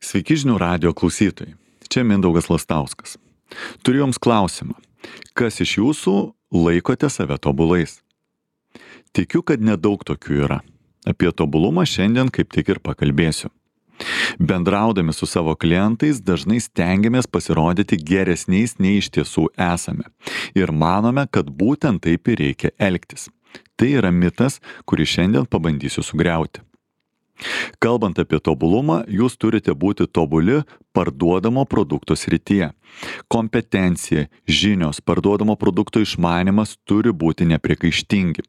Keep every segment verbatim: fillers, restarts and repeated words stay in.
Sveiki žinių radijo klausytojai. Čia Mindaugas Lastauskas. Turiu jums klausimą. Kas iš jūsų laikote save tobulais? Tikiu, kad nedaug tokių yra. Apie tobulumą šiandien kaip tik ir pakalbėsiu. Bendraudami su savo klientais dažnai stengiamės pasirodyti geresniais nei iš tiesų esame. Ir manome, kad būtent taip ir reikia elgtis. Tai yra mitas, kurį šiandien pabandysiu sugriauti. Kalbant apie tobulumą, jūs turite būti tobuli parduodamo produkto srityje. Kompetencija, žinios, parduodamo produkto išmanymas turi būti nepriekaištingi.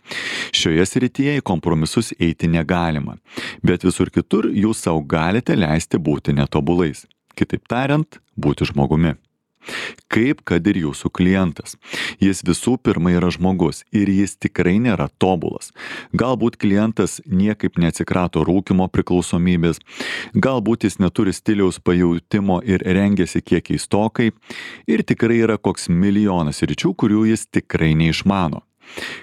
Šioje srityje į kompromisus eiti negalima, bet visur kitur jūs savo galite leisti būti netobulais. Kitaip tariant, būti žmogumi. Kaip kad ir jūsų klientas. Jis visų pirma yra žmogus ir jis tikrai nėra tobulas. Galbūt klientas niekaip neatsikrato rūkymo priklausomybės, galbūt jis neturi stiliaus pajautimo ir rengiasi kiek keistokai ir tikrai yra koks milijonas sričių, kurių jis tikrai neišmano.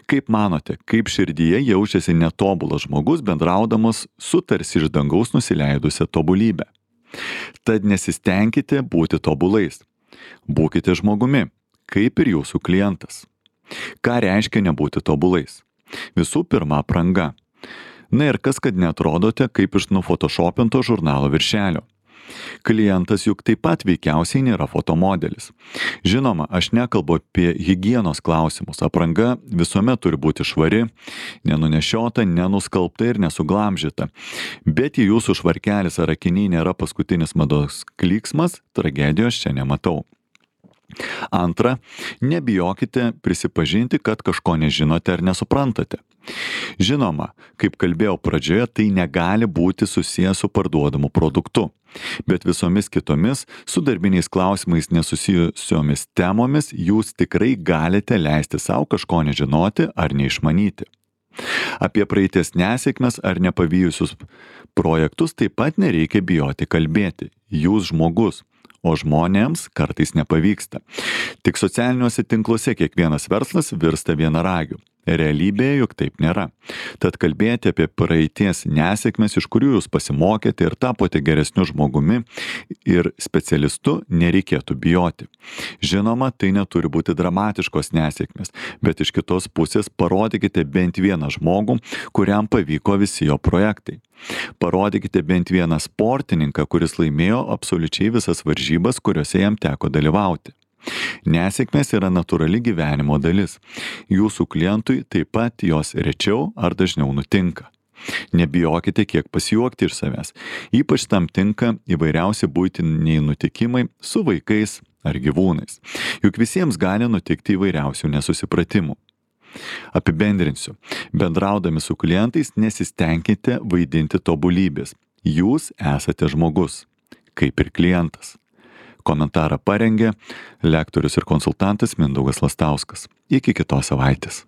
Kaip manote, kaip širdyje jaučiasi netobulas žmogus bendraudamas su tarsi iš dangaus nusileidusią tobulybę? Tad nesistengkite būti tobulais. Būkite žmogumi, kaip ir jūsų klientas. Ką reiškia nebūti tobulais? Visų pirma, apranga. Na ir kas, kad neatrodote kaip iš nufotošopinto žurnalo viršelio. Klientas juk taip pat veikiausiai nėra fotomodelis. Žinoma, aš nekalbu apie higienos klausimus. Apranga visuomet turi būti švari, nenunešiota, nenuskalbta ir nesuglamžyta. Bet jei jūsų švarkelis ar akiniai nėra paskutinis mados klyksmas, tragedijos čia nematau. Antra, nebijokite prisipažinti, kad kažko nežinote ar nesuprantate. Žinoma, kaip kalbėjau pradžioje, tai negali būti susijęs su parduodamu produktu, bet visomis kitomis su darbiniais klausimais nesusijusiomis temomis jūs tikrai galite leisti savo kažko nežinoti ar neišmanyti. Apie praeities nesėkmes ar nepavyjusius projektus taip pat nereikia bijoti kalbėti. Jūs žmogus. O žmonėms kartais nepavyksta. Tik socialiniuose tinkluose kiekvienas verslas virsta vienaragiu. Realybėje juk taip nėra. Tad kalbėti apie praeities nesėkmes, iš kurių jūs pasimokėte ir tapote geresniu žmogumi ir specialistu, nereikėtų bijoti. Žinoma, tai neturi būti dramatiškos nesėkmės, bet iš kitos pusės parodykite bent vieną žmogų, kuriam pavyko visi jo projektai. Parodykite bent vieną sportininką, kuris laimėjo absoliučiai visas varžybas, kuriuose jam teko dalyvauti. Nesėkmės yra natūrali gyvenimo dalis. Jūsų klientui taip pat jos rečiau ar dažniau nutinka. Nebijokite kiek pasijuokti iš savęs. Ypač tam tinka įvairiausi buitiniai nutikimai su vaikais ar gyvūnais. Juk visiems gali nutikti įvairiausių nesusipratimų. Apibendrinsiu. Bendraudami su klientais nesistengkite vaidinti tobulybės. Jūs esate žmogus, kaip ir klientas. Komentarą parengė lektorius ir konsultantas Mindaugas Lastauskas. Iki kitos savaitės.